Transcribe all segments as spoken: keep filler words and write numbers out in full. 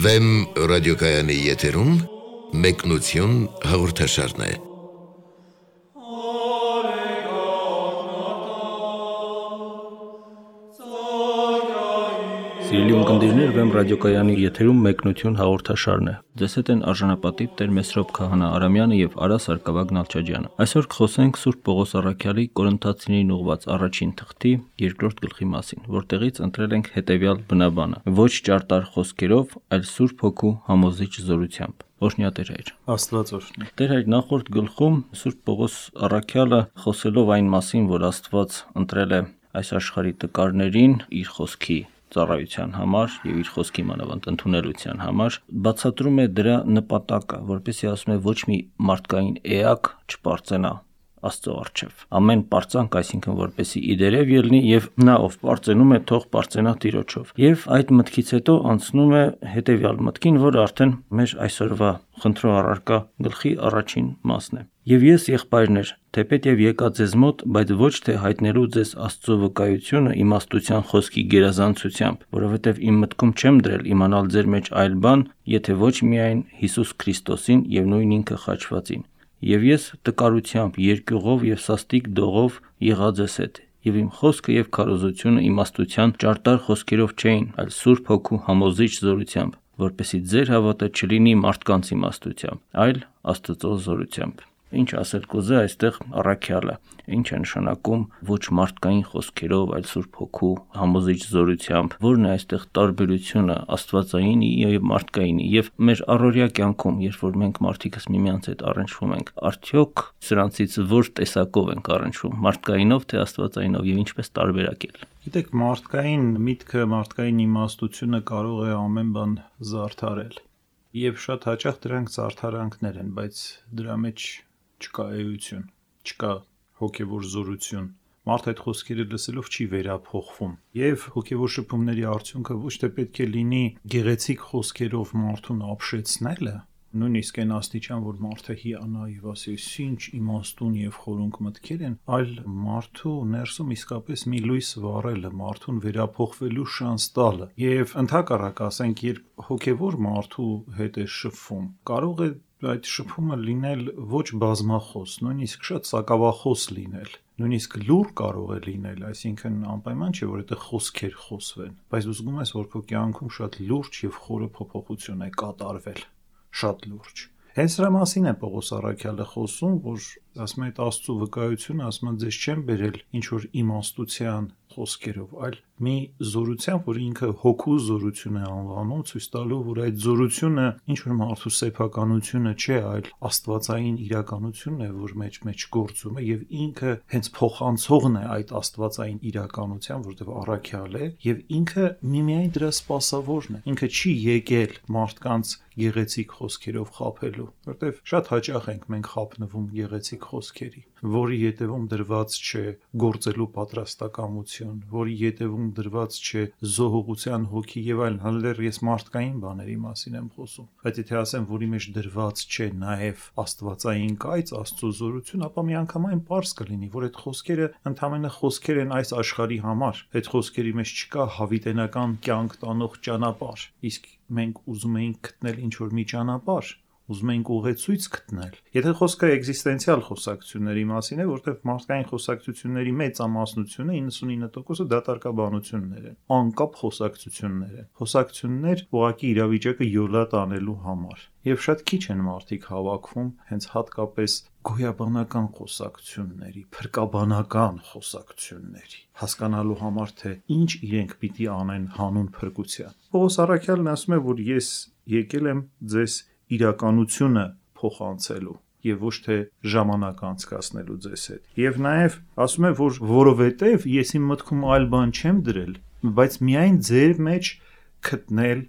Վեմ ռադիոկայանի եթերում մեկնություն հաղորդաշարն է։ Սիրելի ունկնդիրներ, Վեմ ռադիոկայանի եթերում մեկնություն հաղորդաշարն է։ Ձեզ հետ են արժանապատիվ Տեր Մեսրոպ Քահանա Արամյանը եւ Արա Սարգսակ Նալչաջյանը։ Այսօր կխոսենք Սուրբ Պողոս առաքյալի Կորինթացիներին ուղված առաջին թղթի երկրորդ գլխի մասին, որտեղից ընտրել ենք հետեւյալ բնաբանը. ոչ ճարտար խոսքերով, այլ Սուրբ Հոգու համոզիչ զորությամբ։ Օրհնյա Տեր Հայր։ Աստված օրհնի։ Տեր Հայր, նախորդ գլխում Սուրբ Պողոս առաքյալը խոսելով այն մասին, որ Աստված ընտրել է այս աշխարհի տկարներին իր խոսքի ծառայության համար եւ իր խոսքի մանավանդ ընդունելության համար, բացատրում է դրա նպատակը, որպեսզի ասում է ոչ մի մարդկային էակ չպարծենա Աստծո առջև։ Ամեն պարծանք, այսինքն որպեսզի իդերև ելնի եւ նա ով պարծենում է, թող պարծենա Տիրոջով։ Եվ այդ մտքից հետո անցնում է հետեւյալ մտքին, որը արդեն մեր այսօրվա խնդրո առարկա գլխի առաջին մասն է։ Եվ ես, եղբայրներ, թեպետ եւ եկա ձեզ մոտ, բայց ոչ թե հայտնելու ձեզ Աստծո վկայությունը իմաստության խոսքի գերազանցությամբ, որովհետեւ իմ մտքում չեմ դրել իմանալ ձեր մեջ այլ բան, եթե ոչ միայն Հիսուս Քրիստոսին եւ նույն ինքը խաչվածին։ Եվ ես տկարությամբ, երկյուղով եւ սաստիկ դողով եղա ձեզ հետ, եւ իմ խոսքը եւ քարոզությունը իմաստության ճարտար խոսքերով չէին, այլ Սուրբ Հոգու համոզիչ զորությամբ, որպեսզի ձեր հավատը չլինի մարդկանց իմաստությամբ, այլ Աստծո զորությամբ։ Ինչ ասել կուզե այստեղ առաքյալը, ինչ է նշանակում ոչ մարդկային խոսքերով, այլ Սուրբ Հոգու համոզիչ զորությամբ, որն է այստեղ տարբերությունը աստվածայինի եւ մարդկայինի, եւ մեր առօրյա կյանքում, երբ որ մենք մարդիկս միմյանց հետ առնչվում ենք, արդյոք սրանցից որ տեսակով ենք առնչվում, մարդկայինով թե աստվածայինով եւ ինչպես տարբերակել։ Գիտեք, մարդկային միտքը, մարդկային իմաստությունը կարող է ամեն բան զարդարել, եւ շատ հաճախ դրանք զարդարանքներ են, բայց դրա մեջ չկա էություն, չկա հոգևոր զորություն։ Մարդը այդ խոսքերը լսելով չի վերափոխվում։ Եվ հոգևոր շփումների արդյունքը ոչ թե պետք է լինի գեղեցիկ խոսքերով մարդուն ապշեցնելը, նույնիսկ այն աստիճան, որ մարդը հիանա եւ ասի, ինչ իմաստուն եւ խորունկ մտքեր են, այլ մարդու ներսում իսկապես մի լույս վառելը, մարդուն վերափոխվելու շանս տալը։ Եվ ընդհակառակ ասենք, երբ հոգևոր մարդու հետ է շփվում, կարող է այդ շփումը լինել ոչ բազմախոս, նույնիսկ շատ սակավախոս լինել, նույնիսկ լուր կարող է լինել, այսինքն անպայման չէ, որ այդ խոսքեր խոսվեն, բայց դու զգում ես, որ քո կյանքում շատ լուրջ եւ խորը փոփոխություն է կատարվել, շատ լուրջ։ Հենց դրա մասին է Պողոս առաքյալը խոսում, որ ասում է այդ Աստծո վկայությունը, ասում է ձեզ չեմ բերել ինչ որ իմաստության խոսքերով, այլ մի զորությամբ, որ ինքը հոգու զորություն է անվանում, ցույց տալու, որ այդ զորությունը ինչ որ մարդու սեփականությունը չէ, այլ աստվածային իրականությունն է, որ մեջ մեջ գործում է, եւ ինքը հենց փոխանցողն է այդ աստվածային իրականության, որտեղ առաքյալ է, եւ ինքը միմիայն դրա սպասավորն է։ Ինքը չի եկել մարդկանց գեղեցիկ խոսքերով խաբելու, որտեղ շատ հաճախ ենք մենք խաբնվում գեղեցիկ խոսքերի, որի ետևում դրված չէ գործելու պատրաստակամություն, որի ետևում դրված չէ զոհողության հոգի եւ այլն, հəլեր ես մարդկային բաների մասին եմ խոսում, բայց եթե ասեմ, որի մեջ դրված չէ նաեւ աստվածային կայծ, Աստծո զորություն, ապա միանգամայն պարզ կլինի, որ այդ խոսքերը ընդհանրապես խոսքեր են այս աշխարհի համար, այդ խոսքերի մեջ չկա հավիտենական կյանք տանող ճանապարհ, իսկ մենք ուզում ենք գտնել ինչ որ մի ճանապարհ, ուզում ենք ուղեցույց գտնել։ Եթե խոսքը էգզիստենցիալ խոսակցությունների մասին է, որտեղ մարդկային խոսակցությունների մեծամասնությունը իննսունինը տոկոսը դատարկաբանություններ են, անկապ խոսակցություններ են, խոսակցություններ ուղղակի իրավիճակը յոլա տանելու համար։ Եվ շատ քիչ են մարդիկ հավաքվում հենց հատկապես գոյաբանական խոսակցությունների, փրկաբանական խոսակցությունների, հասկանալու համար, թե ինչ իրենք պիտի անեն հանուն փրկության։ Պողոս առաքյալն ասում է, որ ես եկել եմ ձեզ իրականությունը փոխանցելու եւ ոչ թե ժամանակ անցկացնելու ձեզ հետ։ Եվ նաեւ ասում է, որ որովհետեւ ես իմ մտքում այլ բան չեմ դրել, բայց միայն ձեր մեջ գտնել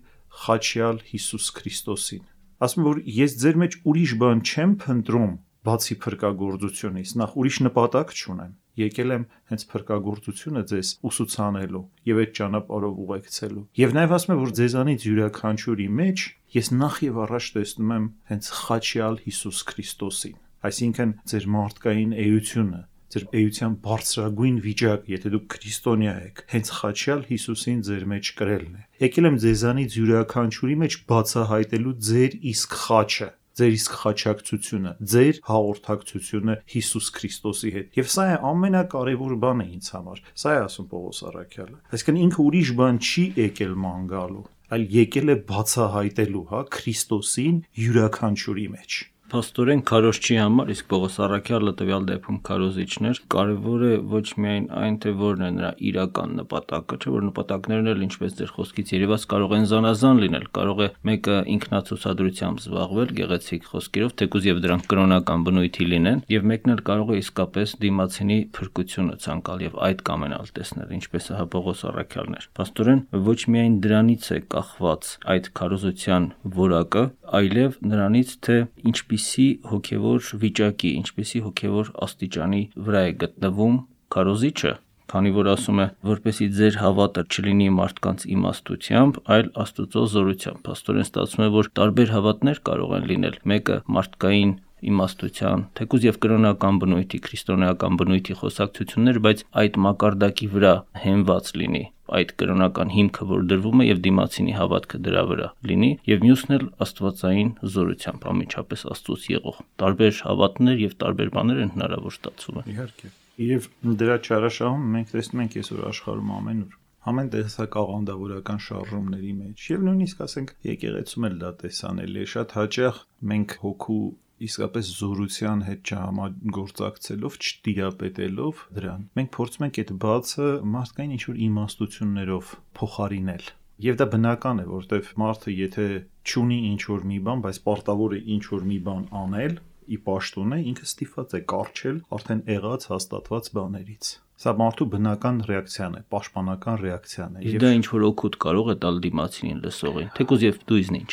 խաչյալ Հիսուս Քրիստոսին։ Ասում է, որ ես ձեր մեջ ուրիշ բան չեմ փնտրում, բացի փրկagorցությունից, նախ ուրիշ նպատակ չունեմ։ Եկել եմ հենց փրկagorցությունը ձեզ ուսուցանելու եւ այդ ճանապարհով ուղեկցելու։ Եվ նաեւ ասում է, որ ձեզանից յուրաքանչյուրի մեջ ես նախ եւ առաջ տեսնում եմ հենց խաչյալ Հիսուս Քրիստոսին, այսինքն ձեր մարդկային էությունը, ձեր էության բարձրագույն վիճակ, եթե դուք քրիստոնյա եք, հենց խաչյալ Հիսուսին ձեր մեջ կրելն է։ Եկել եմ ձեզանից յուրաքանչյուրի մեջ բացահայտելու ձեր իսկ խաչը, ձեր իսկ խաչակցությունը, ձեր հաղորդակցությունը Հիսուս Քրիստոսի հետ։ Եվ սա է ամենակարևոր բանը ինձ համար։ Սա է ասում Պողոս առաքյալը։ Այսինքն ինքը ուրիշ բան չի եկել ման գալու, այլ եկել է բացահայտելու, հա, Քրիստոսին յուրաքանչյուրի մեջ։ Փաստորեն քարոզչի համար, իսկ Պողոս առաքյալը տվյալ դեպքում քարոզիչներ, կարևոր է ոչ միայն այն, թե որն է նրա իրական նպատակը, չէ՞ որ նպատակներն էլ ինչպես ձեր խոսքից երևաց կարող են զանազան լինել, կարող է մեկը ինքնացուցադրությամբ զբաղվել գեղեցիկ խոսքերով, թեկուզ եւ դրանք կրոնական բնույթի լինեն, եւ մեկն էլ կարող է իսկապես դիմացինի փրկությունը ցանկալ եւ այդ կամենալ տեսնել, ինչպես է Պողոս առաքյալն էր։ Փաստորեն ոչ միայն դրանից է կախված այդ քարոզության որակը, այլև նրանից, թե ինչպիսի հոգևոր վիճակի, ինչպիսի հոգևոր աստիճանի վրա է գտնվում քարոզիչը, քանի որ ասում է, որպեսզի ձեր հավատը չլինի մարդկանց իմաստությամբ, այլ Աստծո զորությամբ։ Փաստորեն ստացվում է, որ տարբեր հավատներ կարող են լինել։ Մեկը մարդկային իմաստության, թեկուզ եւ կրոնական բնույթի, քրիստոնեական բնույթի խոսակցություններ, բայց այդ մակարդակի վրա հենված լինի այդ կրոնական հիմքը, որ դրվում է եւ դիմացինի հավատքը դրա վրա լինի, եւ մյուսն էլ աստվածային զորությամբ, ամենչապես Աստծոց եղող։ Տարբեր հավատներ եւ տարբեր բաներ են հնարավոր ստացվում են։ Իհարկե։ Եվ դրա չարաշահում մենք տեսնում ենք այսօր աշխարհում ամենուր ամեն տեսակ աղանդավորական շարժումների մեջ եւ նույնիսկ ասենք եկեղեցում էլ դա տեսանելի է շատ հաճախ մենք հոգու իսկապես զորության հետ չհամագործակցելով, չտիրապետելով դրան, մենք փորձում ենք այդ բացը մարդկային ինչ-որ իմաստություններով փոխարինել։ Եվ դա բնական է, որտեվ մարդը եթե չունի ինչ-որ մի բան, բայց պարտավոր է ինչ-որ մի բան անել, ի պաշտոն է, ինքը ստիպված է կառչել արդեն եղած հաստատված բաներից։ Սա մարդու բնական ռեակցիան է, պաշտպանական ռեակցիան է։ Եվ դա ինչ-որ օգուտ կարող է տալ դիմացինին լսողին, թեկուզ եւ դու իզնինչ։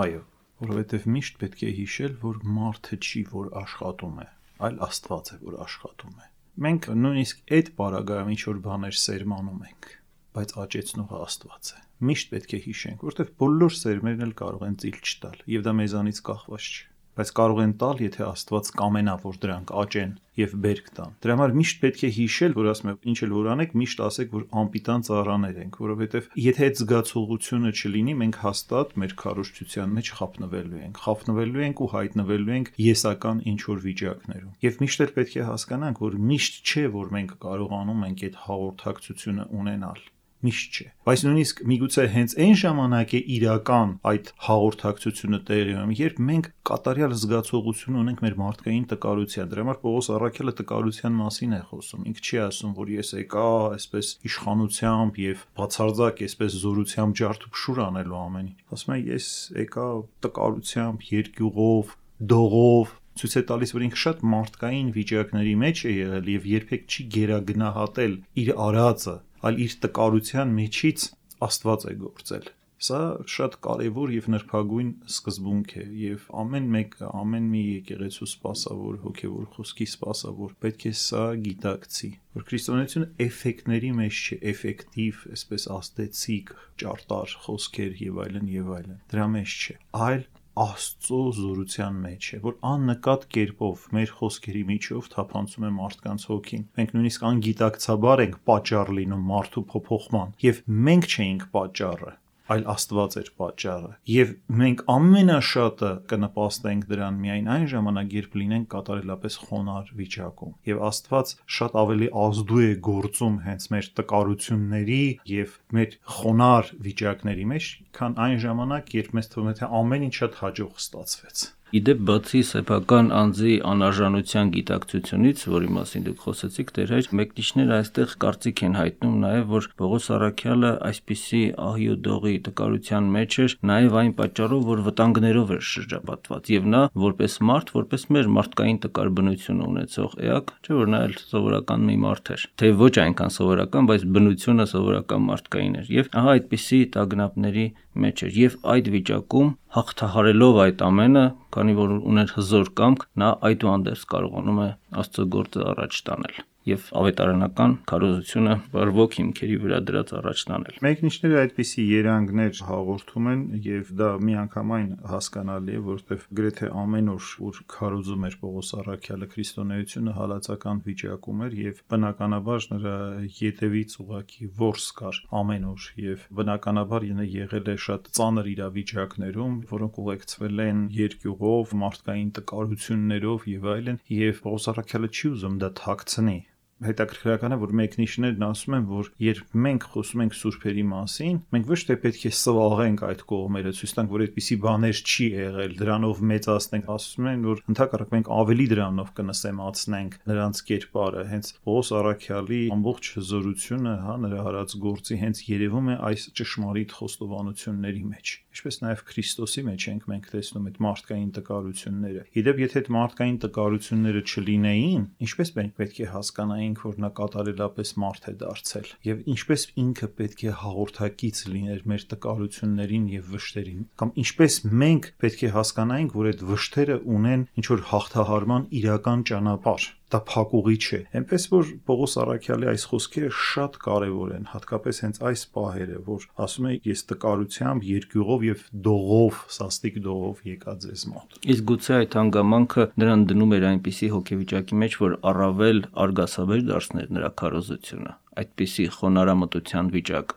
Այո, որովհետև միշտ պետք է հիշել, որ մարդը չի, որ աշխատում է, այլ Աստված է, որ աշխատում է։ Մենք նույնիսկ այդ պարագայում ինչ-որ բաներ սերմանում ենք, բայց աճեցնողը Աստված է։ Միշտ պետք է հիշենք, որովհետև բոլոր սերմերն էլ կարող են ծիլ չտալ, եւ դա մեզանից կախված չէ, բայց կարող են տալ, եթե Աստված կամենա, որ դրանք աճեն եւ բերք տան։ Դրա համար միշտ պետք է հիշել, որ ասում եմ, ինչ էլ որ անեք, միշտ ասեք, որ անպիտան ծառաներ ենք, որովհետեւ եթե այդ զգացողությունը չլինի, մենք հաստատ մեր քարոզչության մեջ խափնվելու ենք, խափնվելու ենք ու հայտնվելու ենք եսական ինչ որ վիճակներում։ Եվ միշտ էլ պետք է հասկանանք, որ միշտ չէ, որ մենք կարողանում ենք այդ հաղորդակցությունը ունենալ։ Միշտ չէ, բայց նույնիսկ միգուցե հենց այն ժամանակ է իրական այդ հաղորդակցությունը տեղի ունենում, երբ մենք կատարյալ զգացողություն ունենք մեր մարդկային տկարության։ Դրա համար Պողոս առաքյալը տկարության մասին է խոսում։ Ինքը չի ասում, որ ես եկա այսպես իշխանությամբ եւ բացարձակ այսպես զորությամբ ջարդուփշուր անելու ամենին։ Ասում է, ես եկա տկարությամբ, երկյուղով, դողով, ցույց է տալիս, որ ինքը շատ մարդկային վիճակների մեջ է եղել եւ երբեք չի գերագնահատել իր արածը, այլ իր տկարության միջից Աստված է գործել։ Սա շատ կարևոր եւ նրբագույն սկզբունք է եւ ամեն մեկը, ամեն մի եկեղեցու սպասավոր, հոգեվոր խոսքի սպասավոր պետք է սա գիտակցի, որ քրիստոնեությունը էֆեկտների մեջ չէ, էֆեկտիվ, այսպես աստեցիկ, ճարտար խոսքեր եւ այլն եւ այլն։ Դրա մեջ չէ, այլ Աստծո զորության մեջ է, որ աննկատ կերպով մեր խոսքերի միջով թափանցում է մարդկանց հոգին։ Մենք նույնիսկ անգիտակցաբար ենք պատճառ լինում մարդու փոփոխման, եւ մենք չէինք պատճառը, այլ Աստված էր պատճառը։ Եվ մենք ամենաշատը կնպաստենք դրան միայն այն ժամանակ, երբ լինենք կատարելապես խոնարհ վիճակում։ Եվ Աստված շատ ավելի ազդու է գործում հենց մեր տկարությունների եւ մեր խոնարհ վիճակների մեջ, քան այն ժամանակ, երբ մեզ թվում է, թե ամեն ինչ շատ հաջող ստացվեց։ Իդեպ բացի սեփական անձի անարժանության գիտակցությունից, որի մասին դուք խոսեցիք, Տեր, մեկնիչները այստեղ կարծիք են հայտնում նաև, որ Պողոս առաքյալը այսպիսի ահի ու դողի տկարության մեջ էր, նաև այն պատճառով, որ վտանգներով էր շրջապատված, եւ նա որպես մարդ, որպես մեր մարդկային տկար բնությունը ունեցող էակ, չէ՞ որ նա էլ սովորական մի մարդ էր, թե ոչ այնքան սովորական, բայց բնությունը սովորական մարդկային էր, եւ ահա այդպիսի տագնապների մեջ էր, եւ այդ վիճակում հաղթահարելով այդ ամենը, քանի որ ուներ հզոր կամք, նա այդուհանդերձ կարողանում է Աստծո գործը առաջ տանել։ եւ ավետարանական քարոզությունը բարվոք հիմքերի վրա դրած առաջ տանել։ Մեկնիշները այդպիսի երանգներ հաղորդում են եւ դա միանգամայն հասկանալի է, որովհետեւ գրեթե ամեն օր որ քարոզում էր Պողոս Առաքյալը քրիստոնեությունը հալածական վիճակում էր եւ բնականաբար նրա ետևից ուղակի ворս կար ամեն օր եւ բնականաբար ինը եղել է շատ ծանր իրավիճակներում, որոնք ուղեկցվել են երկյուղով, մարդկային տկարություններով եւ այլն, եւ Պողոս Առաքյալը չի ուզում դա թաքցնի։ Հետաքրքրական է, որ մեկնիշներն ասում են, որ երբ մենք խոսում ենք սուրբերի մասին, մենք ոչ թե պետք է սվաղենք այդ կողմերը, ցույց տանք, որ այդպիսի բաներ չի եղել, դրանով մեծացնենք, ասում են, որ ընդհակառակ մենք ավելի դրանով կնսեմացնենք նրանց կերպարը, հենց Պողոս Առաքյալի ամբողջ հզորությունը, հա, նրա հարած գործի հենց երևում է այս ճշմարիտ խոստովանությունների մեջ, ինչպես նաև Քրիստոսի մեջ ենք մենք տեսնում այդ մարդկային տկարությունները։ Իդեպ, եթե այդ մարդկային տկարությունները չլինեին, ինչպես մենք պետք է հասկանայինք, որ նա կատարելապես մարդ է դարձել, եւ ինչպես ինքը պետք է հաղորդակից լիներ մեր տկարություններին եւ վշտերին, կամ ինչպես մենք պետք է հասկանայինք, որ այդ վշտերը ունեն ինչ որ հաղթահարման իրական ճանապարհ։ Դա փակուղի չէ։ Այնպես որ Պողոս Առաքյալի այս խոսքերը շատ կարևոր են, հատկապես հենց այս պահերը, որ ասում է ես տկարությամբ, երկյուղով եւ դողով, սաստիկ դողով եկա ձեզ մոտ։ Իսկ գուցե այդ հանգամանքը նրան դնում էր այնպիսի հոգեվիճակի մեջ, որ առավել արգասաբեր դարձներ նրա քարոզությունը, այդպիսի խոնարհամտության վիճակ։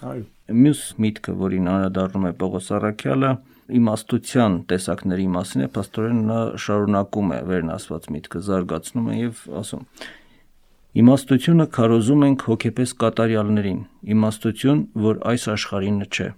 Այո։ Մյուս միտքը, որին անդրադառնում է Պողոս Առաքյալը, իմաստության տեսակների մասին է, փաստորեն նա շարունակում է վերն ասված միտքը, զարգացնում է եւ ասում. Իմաստությունը քարոզում ենք հոգեպես կատարյալներին, իմաստություն, որ այս աշխարհինը չէ,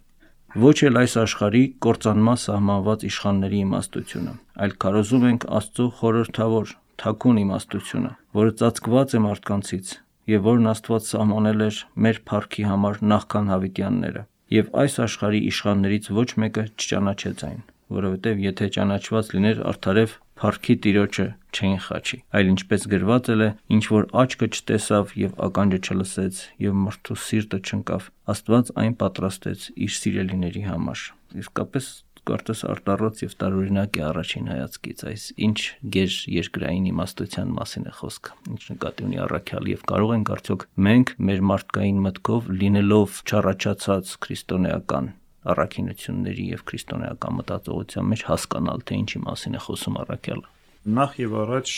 ոչ էլ այս աշխարհի կործանման սահմանված իշխանների իմաստությունը, այլ քարոզում ենք Աստծո խորհրդավոր, թաքուն իմաստությունը, որը ծածկված է մարդկանցից եւ որն Աստված սահմանել էր մեր փառքի համար նախքան հավիտյանները։ Եվ այս աշխարհի իշխաններից ոչ մեկը չճանաչեց այն, որովհետև եթե ճանաչված լիներ արդարև փառքի Տիրոջը չէին խաչի, այլ ինչպես գրված է, ինչ որ աչքը չտեսավ եւ ականջը չլսեց եւ մարդու սիրտը չընկավ, Աստված այն պատրաստեց իր սիրելիների համար։ Իսկապես կարծես արտառոց եւ տարօրինակ է առաջին հայացքից այս ինչ գեր երկրային իմաստության մասին է խոսքը, ինչ նկատի ունի Առաքյալը եւ կարող ենք արդյոք մենք մեր մարդկային մտքով լինելով չառաջացած քրիստոնեական առաքինությունների եւ քրիստոնեական մտածողության մեջ հասկանալ թե ինչի մասին է խոսում Առաքյալը։ Նախ եւ առաջ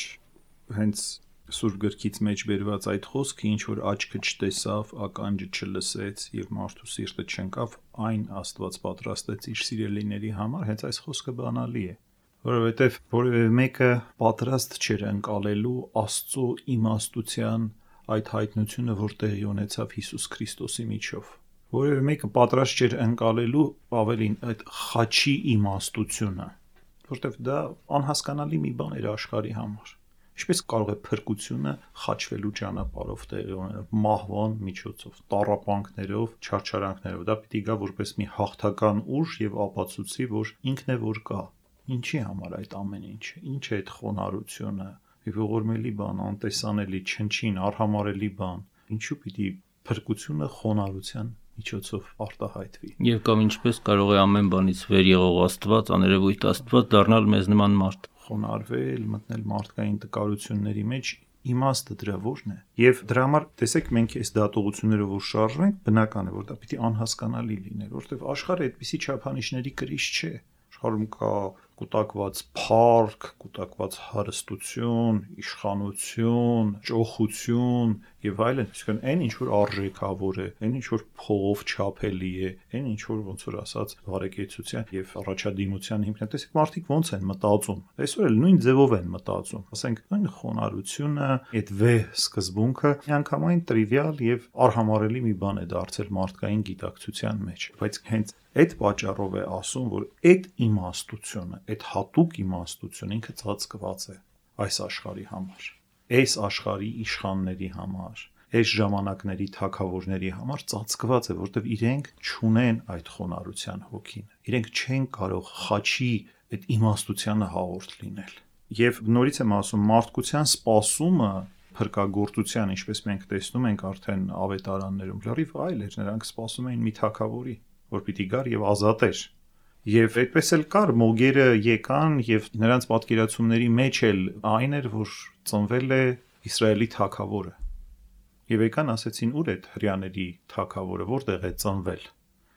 հենց Սուրբ գրքից մեջ բերված այդ խոսքը, ինչ որ աչքը չտեսավ, ականջը չլսեց եւ մարդու սիրտը չընկավ, այն Աստված պատրաստեց իր սիրելիների համար, հենց այս խոսքը բանալի է, որովհետեւ որևէ մեկը պատրաստ չէր ընկալելու Աստծո իմաստության այդ հայտնությունը, որ տեղի ունեցավ Հիսուս Քրիստոսի միջով։ Որևէ մեկը պատրաստ չէր ընկալելու ավելին այդ խաչի իմաստությունը, որովհետեւ դա անհասկանալի մի բան էր աշխարհի համար։ Ինչպես կարող է փրկությունը խաչվելու ճանապարհով տեղի ունենալ, մահվան միջոցով, տառապանքներով, չարչարանքներով, դա պիտի գա որպես մի հաղթական ուժ եւ ապացուցի, որ ինքն է որ կա։ Ինչի համար այդ ամեն ինչը, ինչ է այդ խոնարհությունը, ողորմելի բան, անտեսանելի, չնչին, արհամարելի բան, ինչու պիտի փրկությունը խոնարհության միջոցով արտահայտվի։ Եվ կամ ինչպես կարող է ամեն բանից վեր եղող Աստված, աներևույթ Աստված դառնալ մեզ նման մարդ, խոնարհվել, մտնել մարդկային տկարությունների մեջ, իմաստը դրա որն է։ Եվ դրա համար տեսեք մենք այս դատողություններով որ շարժվենք, բնական է որ դա պիտի անհասկանալի լիներ, որովհետև աշխարհը այդպիսի չափանիշների կրիչ չէ։ Աշխարհում կա կուտակված փառք, կուտակված հարստություն, իշխանություն, ճոխություն եւ այլն, այսինքն այն ինչ որ արժեքավոր է, այն ինչ որ փողով չափելի է, այն ինչ որ ոնց որ ասած բարեկեցության եւ առաջադիմության հիմքն է։ Տեսեք մարդիկ ոնց են մտածում։ Այսօր էլ նույն ձևով են մտածում։ Ասենք այն խոնարհությունը, այդ վեհ սկզբունքը միանգամայն տրիվիալ եւ արհամարելի մի բան է դարձել մարդկային գիտակցության մեջ, բայց հենց այդ պատճառով է ասում, որ այդ իմաստությունը, այդ հատուկ իմաստությունը ինքը ծածկված է այս աշխարհի համար, այս աշխարհի իշխանների համար, այս ժամանակների թագավորների համար ծածկված է, որտեղ իրենք չունեն այդ խոնարհության հոգին, իրենք չեն կարող խաչի այդ իմաստությանը հաղորդ լինել։ Եվ նորից եմ ասում, մարդկության սպասումը փրկagorցության, ինչպես մենք տեսնում ենք արդեն ավետարաններում, լրիվ այլ էր, նրանք սպասում էին մի թագավորի, որ պիտի գար եւ ազատեր։ Եվ այդպես էլ կար, մոգերը եկան եւ նրանց պատկերացումների մեջ էլ այն էր, որ ծնվել է Իսրայելի թագավորը։ Եվ եկան ասեցին, ուր է հրյաների թագավորը, որտեղ է ծնվել։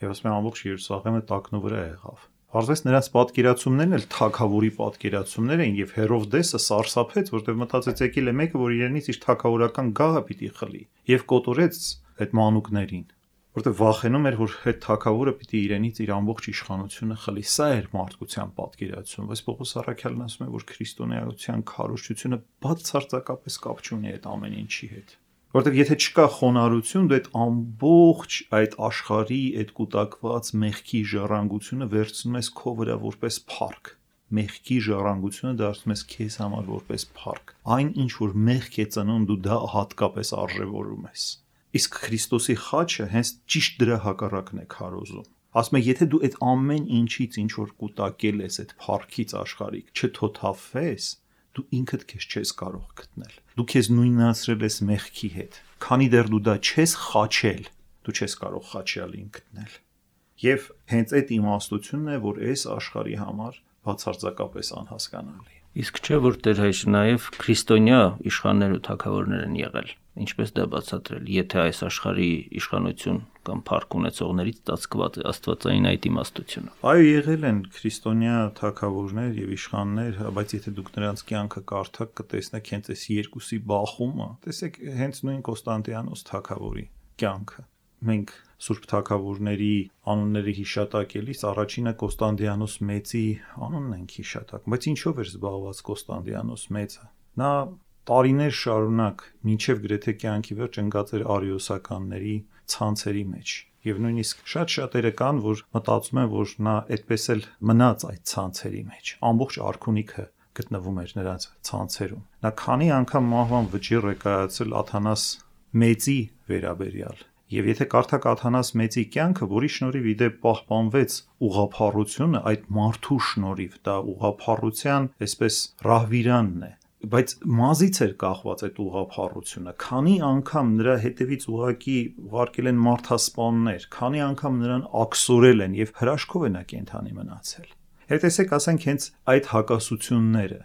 Եվ ասում են ամբողջ Երուսաղեմը տակնու վրա եղավ։ Պարզվեց նրանց պատկերացումներն էլ թագավորի պատկերացումներ էին, եւ Հերովդեսը սարսափեց, որտեղ մտածեց եկել է մեկը, որ իրենից իր թագավորական գահը պիտի խլի, եւ կոտորեց այդ մանուկներին, որտեղ վախենում էր, որ այդ թագավորը պիտի իրենից իր ամբողջ իշխանությունը խլի։ Սա էր մարդկության պատկերացում, բայց Պողոս առաքյալն ասում է, որ քրիստոնեայության քարոզչությունը բացարձակապես կապ չունի այդ ամեն ինչի հետ։ Որտեղ եթե չկա խոնարհություն, դու այդ ամբողջ այդ աշխարհի այդ կուտակված մեղքի ժառանգությունը վերցնում ես քո վրա որպես փառք։ Մեղքի ժառանգությունը դարձնում ես քեզ համար որպես փառք։ Այն ինչ որ մեղք է ծնում, դու դա հատկապես արժևորում ես։ Իսկ Քրիստոսի խաչը հենց ճիշտ դրա հակառակն է քարոզում։ Ասում է, եթե դու այդ ամեն ինչից ինչ որ կուտակել ես այդ փառքից աշխարհիկ, չթոթափվես, դու ինքդ քեզ չես կարող գտնել։ Դու քեզ նույնացրել ես մեղքի հետ։ Քանի դեռ դու դա չես խաչել, դու չես կարող խաչյալին գտնել։ Եվ հենց այդ իմաստությունն է, որ այս աշխարհի համար բացարձակապես անհասկանալի։ Իսկ չէ որ Տեր Հայրը նաև քրիստոնյա իշխաններ ու թագավորներ են եղել, ինչպես դա բացատրել, եթե այս աշխարհի իշխանություն կամ փառք ունեցողներից ծածկված է աստվածային այդ իմաստությունը։ Այո, եղել են քրիստոնյա թագավորներ եւ իշխաններ, բայց եթե դուք նրանց կյանքը կարդաք, կտեսնեք հենց այս երկուսի բախումը։ Տեսեք, հենց նույն Կոստանդիանոս թագավորի կյանքը։ Մենք Սուրբ թագավորների անունների հիշատակելիս առաջինը Կոստանդիանոս մեծի անունն ենք հիշատակում, բայց ինչով էր զբաղված Կոստանդիանոս մեծը։ Նա տարիներ շարունակ մինչև գրեթե կյանքի վերջ ընկած էր արիոսականների ցանցերի մեջ։ Եվ նույնիսկ շատ շատերը կան, որ մտածում են, որ նա այդպես էլ մնաց այդ ցանցերի մեջ։ Ամբողջ արքունիքը գտնվում էր նրանց ցանցերում։ Նա քանի անգամ մահվան վճիռ է կայացել Աթանաս մեծի վերաբերյալ։ Եվ եթե կարդաք Աթանաս մեծի կյանքը, որի շնորհիվ իդեպ պահպանվեց ուղղափառությունը, այդ մարդու շնորհիվ, դա ուղղափառության այսպես ռահվիրանն է, բայց մազից էր կախված այդ ուղղափառությունը։ Քանի անգամ նրա հետևից ուղակի ուղարկել են մարդասպաններ, քանի անգամ նրան աքսորել են եւ հրաշքով է նա կենթանի մնացել։ Եվ տեսեք, ասենք հենց այդ հակասությունները,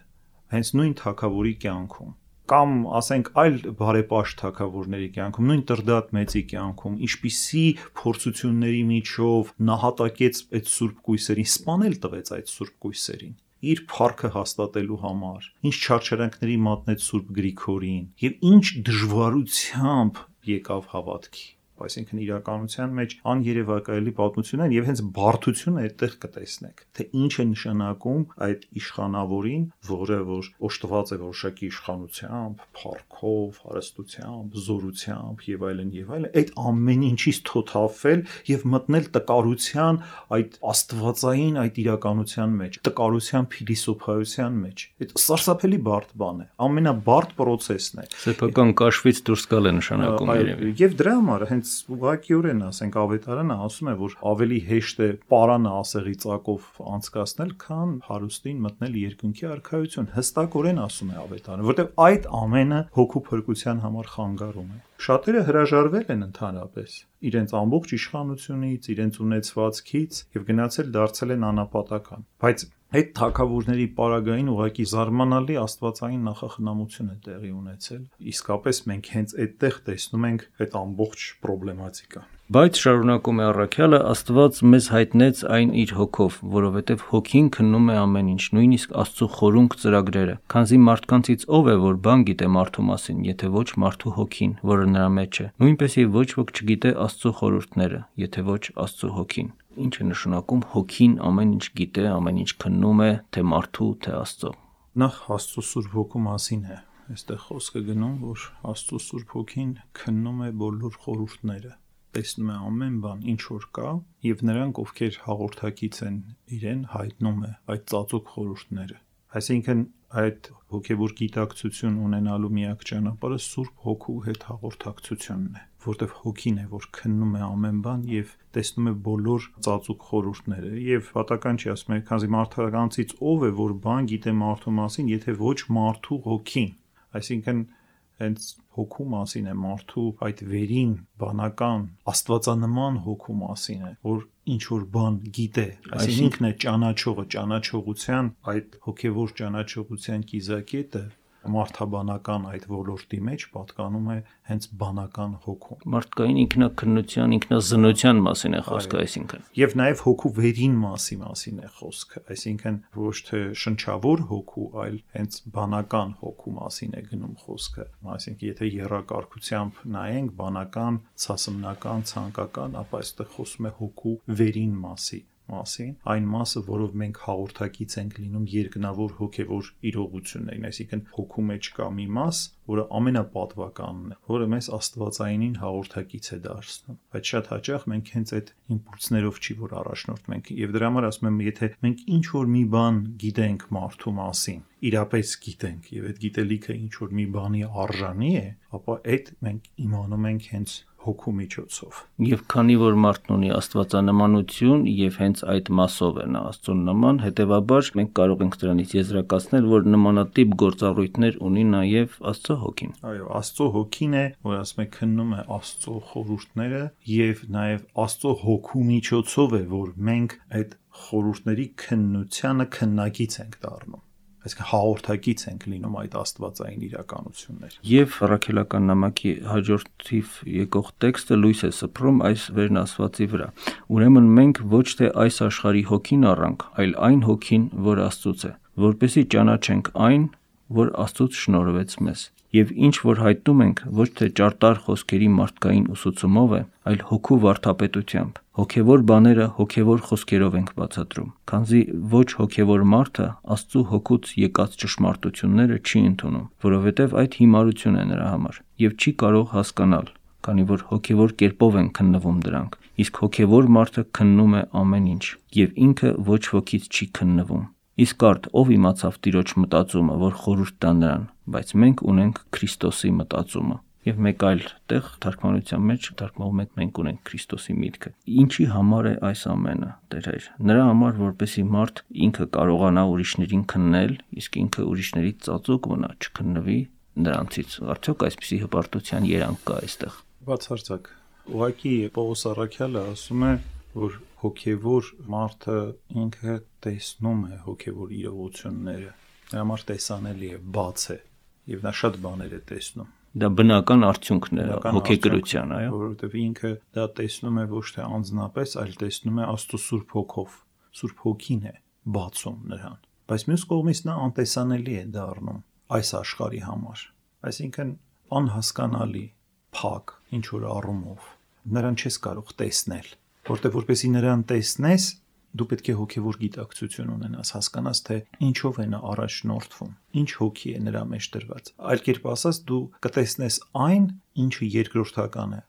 հենց նույն թագավորի կյանքում կամ ասենք այլ բարեպաշտ թագավորների կյանքում, նույն Տրդատ մեծի կյանքում, ինչպիսի փորձությունների միջով նահատակեց այդ սուրբ կույսերին, սպանել տվեց այդ սուրբ կույսերին, իր փառքը հաստատելու համար, ինչ չարչարանքների մատնեց սուրբ Գրիգորին, եւ ինչ դժվարությամբ եկավ հավատքի։ Այսինքն իրականության մեջ աներևակայելի պատմություն են եւ հենց բարդությունը այդտեղ կտեսնեք, թե ինչ է նշանակում այդ իշխանավորին, որը որ օժտված է որոշակի իշխանությամբ, փառքով, հարստությամբ, զորությամբ եւ այլն եւ այլն, այդ ամեն ինչից թոթափվել եւ մտնել տկարության այդ աստվածային այդ իրականության մեջ, տկարության փիլիսոփայության մեջ։ Այդ սարսափելի բարդ բան է, ամենաբարդ process-ն է։ Սեփական կաշվից դուրս գալ է նշանակում երևի։ Եվ դրա համար հենց ուղղակիորեն ասենք ավետարանը ասում է, որ ավելի հեշտ է պարանը ասեղի ծակով անցկացնել, քան հարուստին մտնել երկնքի արքայություն։ Հստակորեն ասում է ավետարանը, որտեղ այդ ամենը հոգու փրկության համար խանգարում է։ Շատերը հրաժարվել են ընդհանրապես իրենց ամբողջ իշխանությունից, իրենց ունեցվածքից եւ գնացել դարձել են անապատական։ Բայց այդ թագավորների պարագային ուղղակի զարմանալի աստվածային նախախնամություն է տեղի ունեցել։ Իսկապես մենք հենց այդտեղ տեսնում ենք այդ ամբողջ պրոբլեմատիկան։ Բայց շարունակում է առաքյալը, Աստված մեզ հայտնեց այն իր հոգով, որովհետև հոգին քննում է ամեն ինչ, նույնիսկ Աստծո խորունկ ծրագրերը։ Քանզի մարդկանցից ով է, որ բան գիտե մարդու մասին, եթե ոչ մարդու հոգին, որը նրա մեջ է։ Նույնպես եւ ոչ ոք չգիտե Աստծո խորհուրդները, եթե ոչ Աստծո հոգին։ Ինչ է նշանակում հոգին ամեն ինչ գիտե, ամեն ինչ քննում է, թե մարդու, թե Աստծո։ Նախ Աստծո Սուրբ Հոգու մասին է այստեղ խոսքը գնում, որ Աստծո Սուրբ Հոգին քննում է բոլոր խորհուրդները, տեսնում է ամեն բան, ինչ որ կա, եւ նրանք, ովքեր հաղորդակից են իրեն, հայտնում է այդ ծածուկ խորհուրդները։ Այսինքն այդ հոգեվոր գիտակցություն ունենալու միակ ճանապարհը Սուրբ Հոգու հետ հաղորդակցությունն է, որտեղ հոգին է, որ քննում է ամեն բան եւ տեսնում է բոլոր ծածուկ խորհուրդները։ Եվ պատական չի ասում, քանզի մարդկանցից ով է, որ բան գիտե մարդու մասին, եթե ոչ մարդու հոգին։ Այսինքն հենց հոգու մասին է, մարդու այդ վերին, բանական, աստվածանման հոգու մասին է, որ ինչ որ բան գիտե, այսինքն ինքն է ճանաչողը, ճանաչողության այդ հոգևոր ճանաչողության կիզակետը մարդաբանական այդ ոլորտի մեջ պատկանում է հենց բանական հոգուն։ Մարդկային ինքնակնության, ինքնազնության մասին է խոսքը, այսինքն։ Եվ նաև հոգու վերին մասի մասին է խոսքը, այսինքն ոչ թե շնչավոր հոգու, այլ հենց բանական հոգու մասին է գնում խոսքը։ Այսինքն եթե եռակարգությամբ նայենք բանական, ցասմնական, ցանկական, ապա այստեղ խոսում է հոգու վերին մասի մասին, այն մասը, որով մենք հաղորդակից ենք լինում երկնավոր հոգևոր իրողություններին, այսինքն հոգու մեջ կա մի մաս, որը ամենապատվականն է, որը մեզ աստվածայինին հաղորդակից է դարձնում, բայց շատ հաճախ մենք հենց այդ իմպուլսներով չի որ առաջնորդվում ենք, եւ դրա համար ասում եմ, եթե մենք ինչ որ մի բան գիտենք մարդու մասին, իրապես գիտենք, եւ այդ գիտելիքը ինչ որ մի բանի արժանի է, ապա այդ մենք իմանում ենք հենց հոգու միջոցով։ Եվ քանի որ մարդն ունի աստվածանմանություն եւ հենց այդ մասով է նա Աստծուն նման, հետեւաբար մենք կարող ենք դրանից եզրակացնել, որ նմանատիպ գործառույթներ ունի նաեւ Աստծո հոգին։ Այո, Աստծո հոգին է, որ ասում է քննում է Աստծո խորհուրդները եւ նաեւ Աստծո հոգու միջոցով է, որ մենք այդ խորհուրդների քննությանը քննագից ենք դառնում։ Այսինքն հաղորդակից ենք լինում այդ աստվածային իրականություններ։ Եվ առաքելական նամակի հաջորդ թիվ եկող տեքստը լույս է սփռում այս վերն ասվածի վրա։ Ուրեմն մենք ոչ թե այս աշխարհի հոգին առանք, այլ այն հոգին, որ Աստծուց է, որպեսզի ճանաչենք այն, որ Աստծուց շնորհվեց մեզ։ Եվ ինչ որ հայտնում ենք, ոչ թե ճարտար խոսքերի մարդկային ուսուցումով է, այլ հոգու վարդապետությամբ։ Հոգևոր բաները հոգևոր խոսքերով ենք բացատրում, քանզի ոչ հոգևոր մարդը Աստծու հոգուց եկած ճշմարտությունները չի ընդունում, որովհետև այդ հիմարություն է նրա համար, եւ չի կարող հասկանալ, քանի որ հոգևոր կերպով են քննվում դրանք, իսկ հոգևոր մարդը քննում է ամեն ինչ, եւ ինքը ոչ ոքից չի քննվում։ Իսկ արդ ով իմացավ Տիրոջ մտածումը, որ խորհուրդ տա նրան, բայց մենք ունենք Քրիստոսի մտածումը։ Եվ մեկ այլ տեղ թարգմանության մեջ թարգմանվում է մենք ունենք Քրիստոսի միտքը։ Ինչի համար է այս ամենը, Տեր Հայր։ Նրա համար, որպեսզի մարդ ինքը կարողանա ուրիշներին քննել, իսկ ինքը ուրիշներից ծածուկ մնա, չքննվի նրանցից։ Արդյոք այսպիսի հպարտության երանգ կա այստեղ։ Բացարձակ։ Ուղղակի Պողոս առաքյալը ասում է, որ հոգևոր մարդը ինքը տեսնում է հոգևոր իրողությունները, նրա համար տեսանելի է, բաց է, եւ նա շատ բաներ է տեսնում։ Դա բնական արդյունքն է հոգեգրության, այո, որովհետեւ ինքը դա տեսնում է ոչ թե անձնապես, այլ տեսնում է Աստծո Սուրբ Հոգով։ Սուրբ Հոգին է բացում նրան։ Բայց մյուս կողմից նա անտեսանելի է դառնում այս աշխարհի համար։ Այսինքն անհասկանալի, փակ, ինչ որ առումով նրան չես կարող տեսնել, որտեղ որպեսի նրան տեսնես, դու պետք է հոգևոր գիտակցություն ունենաս, հասկանաս, թե ինչով է նա առաջնորդվում, ինչ հոգի է նրա մեջ դրված։ Այլ կերպ ասած, դու կտեսնես այն, ինչը երկրորդական է,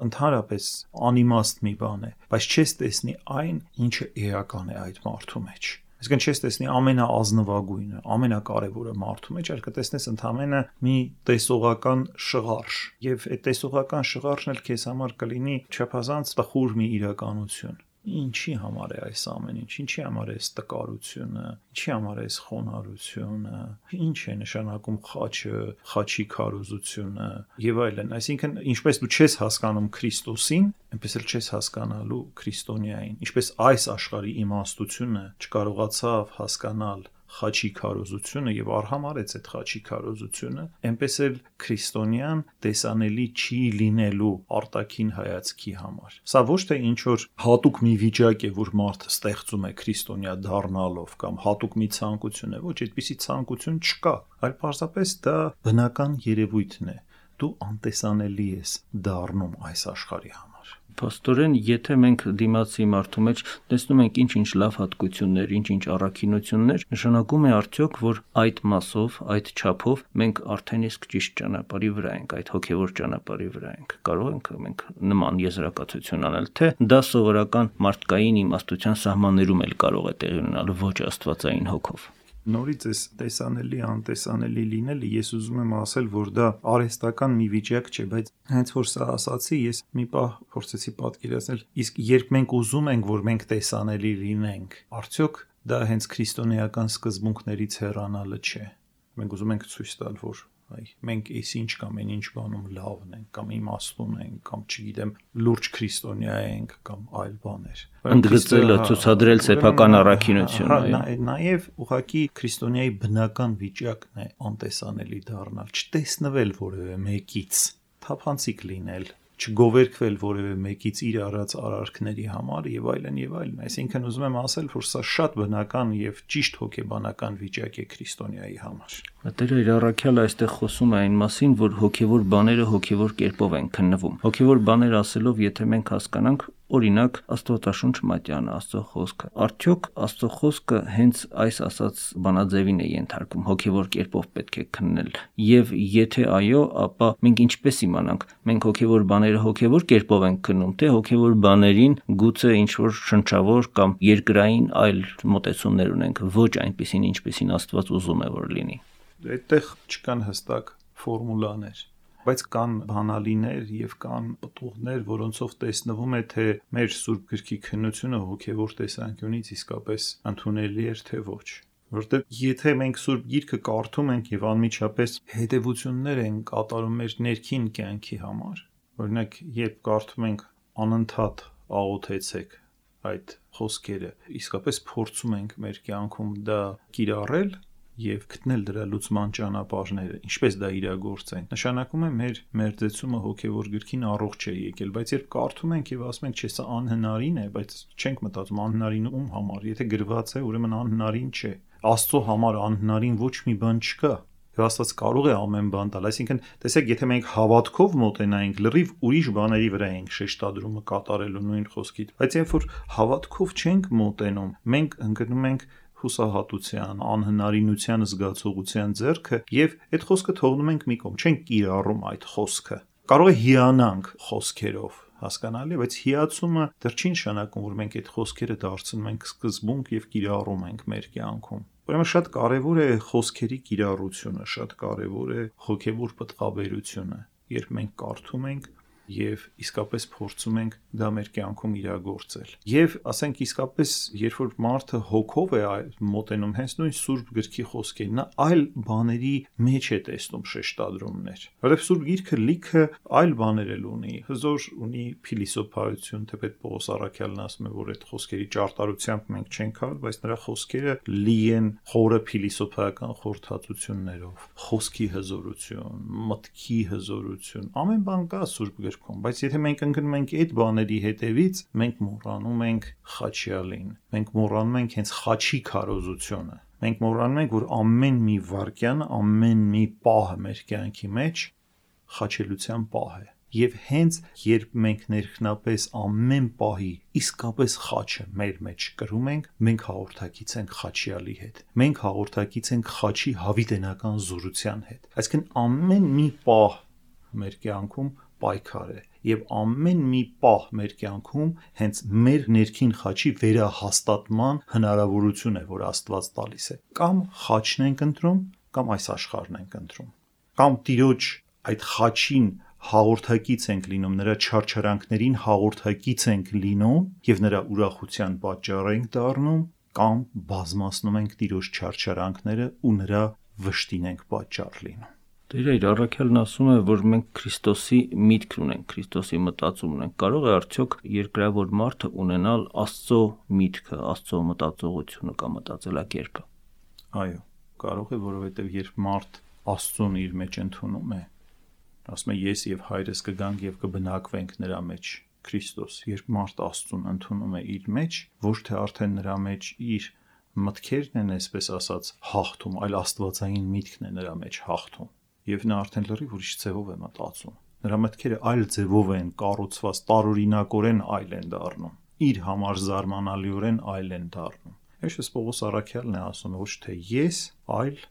ընդհանրապես անիմաստ մի բան է, բայց չես տեսնի այն, ինչը էական է այդ մարդու մեջ։ Այսինքն չես տեսնի ամենաազնվագույնը, ամենակարևորը մարդու մեջ, այլ կտեսնես ընդամենը մի տեսողական շղարշ, եւ այդ տեսողական շղարշն էլ քեզ համար կլինի չափազանց տխուր մի իրականություն։ Ինչի համար է այս ամեն ինչ, ինչի համար է այս տկարությունը, ինչի համար է այս խոնարհությունը, ինչ է նշանակում խաչը, խաչի քարոզությունը եւ այլն։ Այսինքն ինչպես դու չես հասկանում Քրիստոսին, այնպես էլ չես հասկանալու քրիստոնեային, ինչպես այս աշխարհի իմաստությունը չկարողացավ հասկանալ խաչի քարոզությունը եւ արհամարեց այդ խաչի քարոզությունը, այնպես էլ քրիստոնյան տեսանելի չի լինելու արտաքին հայացքի համար։ Սա ոչ թե ինչ որ հատուկ մի վիճակ է, որ մարդը ստեղծում է քրիստոնյա դառնալով կամ հատուկ մի ցանկություն է, ոչ, այդպիսի ցանկություն չկա, այլ պարզապես դա բնական երևույթն է։ Դու անտեսանելի ես դառնում այս աշխարհի համար։ Փաստորեն, եթե մենք դիմացի մարդու մեջ տեսնում ենք ինչ-ինչ լավ հատկություններ, ինչ-ինչ առաքինություններ, նշանակում է արդյոք, որ այդ մասով, այդ չափով մենք արդեն իսկ ճիշտ ճանապարհի վրա ենք, այդ հոգևոր ճանապարհի վրա ենք։ Կարող ենք մենք նման եզրակացություն անել, թե դա սովորական մարդկային իմաստության սահմաններում էլ կարող է տեղի ունենալ, ոչ աստվածային հոգով։ Նորից էս տեսանելի, անտեսանելի լինելը ես ուզում եմ ասել, որ դա արհեստական մի վիճակ չէ, բայց հենց որ սա ասացի, ես մի պահ փորձեցի պատկերացնել, իսկ երբ մենք ուզում ենք, որ մենք տեսանելի լինենք, արդյոք դա հենց քրիստոնեական սկզբունքներից հեռանալը չէ։ Մենք ուզում ենք ցույց տալ, որ այ մենք էս ինչ կամ այն ինչ բանում լավն ենք կամ իմաստուն ենք կամ չգիտեմ լուրջ քրիստոնյա ենք կամ այլ բաներ ընդգծելը ցուցադրել սեփական առաքինությունը նաև ուղղակի քրիստոնյայի բնական վիճակն է անտեսանելի դառնալ չտեսնվել որևէ մեկից թափանցիկ լինել չգովերքվել որևէ մեկից իր արած արարքների համար եւ այլն եւ այլն այսինքն ուզում եմ ասել որ սա շատ բնական եւ ճիշտ հոգեբանական վիճակ է քրիստոնյայի համար Տերը իր առաքյալը այստեղ խոսում է այն մասին որ հոգեվոր բաները հոգեվոր կերպով են քննվում հոգեվոր բաներ ասելով եթե մենք հասկանանք օրինակ Աստվածաշունչ մատյանը Աստծո խոսքը արդյոք Աստծո խոսքը հենց այս ասած բանաձևին է ենթարկվում հոգեվոր կերպով պետք է քննել եւ եթե այո ապա մենք ինչպես իմանանք մենք հոգեվոր բաները հոգեվոր կերպով ենք քննում թե հոգեվոր բաներին գուցե ինչ որ շնչավոր կամ երկրային այլ մոտեցումներ ունենք ոչ այնպեսին ինչպեսին Աստված ուզում է որ լինի այդտեղ չկան հստակ ֆորմուլաներ բայց կան բանալիներ եւ կան պտուղներ, որոնցով տեսնվում է, թե մեր Սուրբ Գրքի քննությունը հոգեվոր տեսանկյունից իսկապես ընդունելի է թե ոչ։ Որտեղ եթե մենք Սուրբ Գիրքը կարդում ենք եւ անմիջապես հետեւություններ են կատարում մեր ներքին կյանքի համար, օրինակ, երբ կարդում ենք անընդհատ աղոթեցեք այդ խոսքերը, իսկապես փորձում ենք մեր կյանքում դա կիրառել եւ գտնել դրա լուծման ճանապարհները, ինչպես դա իրագործենք։ Նշանակում է մեր մերձեցումը հոգեվոր գրքին առողջ է եկել, բայց երբ կարդում ենք եւ ասում ենք, չէ, սա անհնարին է, բայց չենք մտածում անհնարին ում համար, եթե գրված է, ուրեմն անհնարին չէ։ Աստծո համար անհնարին ոչ մի բան չկա։ Եվ Աստված կարող է ամեն բան տալ, այսինքն, տեսեք, եթե մենք հավատքով մոտենայինք, լրիվ ուրիշ բաների վրա ենք շեշտադրումը կատարելու նույն խոսքից, բայց երբ որ հավատքով չենք մոտենում, մենք ընկնում ենք հուսահատության, անհնարինության զգացողության ձեռքը եւ այդ խոսքը թողնում ենք մի կողմ, չենք կիրառում այդ խոսքը։ Կարող է հիանանք խոսքերով, հասկանալի, բայց հիացումը դեռ չի նշանակում, որ մենք այդ խոսքերը դարձնում ենք սկզբունք եւ կիրառում ենք մեր կյանքում։ Ուրեմն շատ կարեւոր է խոսքերի կիրառությունը, շատ կարեւոր է հոգեվոր պտղաբերությունը, երբ մենք կարդում ենք եւ իսկապես փորձում ենք դա մեր կյանքում իրագործել։ Եվ ասենք իսկապես, երբ որ մարդը հոգով է մոտենում հենց նույն Սուրբ Գրքի խոսքերին, նա այլ բաների մեջ է տեսնում շեշտադրումներ։ Որովհետեւ Սուրբ Գիրքը լիքը այլ բաներ էլ ունի, հզոր ունի փիլիսոփայություն, թեպետ Պողոս առաքյալն ասում է, որ այդ խոսքերի ճարտարությամբ մենք չենք հալ, բայց նրա խոսքերը լի են խորը փիլիսոփայական խորհրդածություններով, խոսքի հզորություն, մտքի հզորություն, ամեն բան կա Սուրբ Գրքում բայց եթե մենք ընկնում ենք այդ բաների հետևից, մենք մոռանում ենք Խաչյալին, մենք մոռանում ենք հենց Խաչի քարոզությունը, մենք մոռանում ենք, որ ամեն մի վարքյան, ամեն մի պահ մեր կյանքի մեջ խաչելության պահ է։ Եվ հենց երբ մենք ներքնապես ամեն պահի իսկապես խաչը մեր մեջ կրում ենք, մենք հաղորդակից ենք Խաչյալի հետ։ Մենք հաղորդակից ենք Խաչի հավիտենական զորության հետ։ Այսինքն ամեն մի պահ մեր կյանքում պայքար է եւ ամեն մի պահ մեր կյանքում հենց մեր ներքին խաչի վերահաստատման հնարավորություն է, որ Աստված տալիս է։ Կամ խաչն ենք ընտրում, կամ այս աշխարհն ենք ընտրում։ Կամ Տիրոջ այդ խաչին հաղորդակից ենք լինում, նրա չարչարանքներին հաղորդակից ենք լինում եւ նրա ուրախության պատճառ ենք դառնում, կամ բազմացնում ենք Տիրոջ չարչարանքները ու նրա վշտին ենք պատճառ լինում։ Տերը իր առաքյալն ասում է, որ մենք Քրիստոսի միտք ունենք, Քրիստոսի մտածում ունենք։ Կարող է արդյոք երկրավոր մարդը ունենալ Աստծո միտքը, Աստծո մտածողությունը կամ մտածելակերպը։ Այո, կարող է, որովհետև երբ մարդ Աստծուն իր մեջ ընդունում է, ասում է ես եւ հայրս կգանք եւ կբնակվենք նրա մեջ, Քրիստոս, երբ մարդ Աստծուն ընդունում է իր մեջ, ոչ թե արդեն նրա մեջ իր մտքերն են, այսպես ասած, հաղթում, այլ աստվածային միտքն է նրա մեջ հաղթում։ Եվ նա արդեն լրիվ ուրիշ ձևով է մտածում։ Նրա մտքերը այլ ձևով են կառուցված, տարօրինակորեն այլ են դառնում։ Իր համար զարմանալիորեն այլ են դառնում։ Այսպես Պողոս առաքյալն է ասում, ոչ թե ես, այլ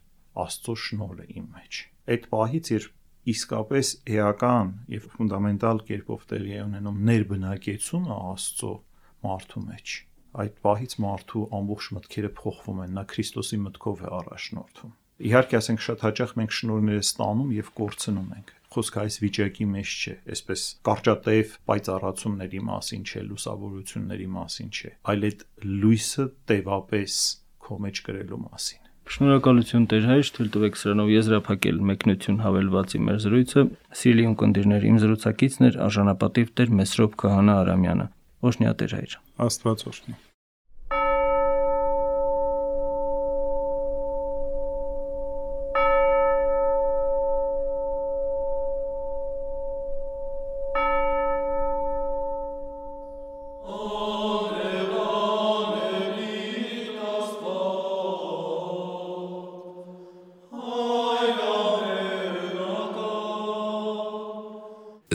Աստծո շնորհը իմ մեջ։ Այդ պահից, երբ իսկապես էական եւ ֆունդամենտալ կերպով տեղի է ունենում ներբնակեցումը Աստծո մարդու մեջ, այդ պահից մարդու ամբողջ մտքերը փոխվում են, նա Քրիստոսի մտքով է առաջնորդվում։ Իհարկե, ասենք շատ հաճախ մենք շնորհները ստանում եւ կորցնում ենք։ Խոսքը այս վիճակի մեջ չէ, այսպես կարճատև պայծառացումների մասին չէ, լուսավորությունների մասին չէ, այլ այդ լույսը տևապես քո մեջ կրելու մասին։ Շնորհակալություն Տեր հայր, թույլ տվեք սրանով եզրափակել մեկնություն հավելվածի մեր զրույցը։ Սիրելի ունկնդիրներ, իմ զրուցակիցն էր արժանապատիվ Տեր Մեսրոպ Քահանա Արամյանը։ Օրհնյա Տեր հայր։ Աստված օրհնի։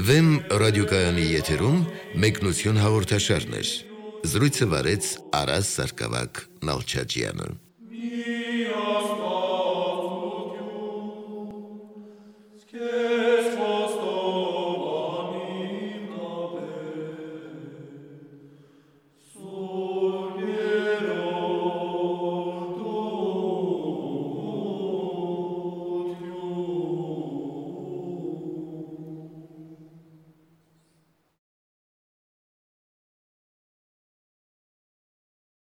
Վեմ ռադիոկայանի եթերում մեկնություն հաղորդաշարներ։ Զրույցը վարեց Արաս Սարգսակ Նալչաջյանը։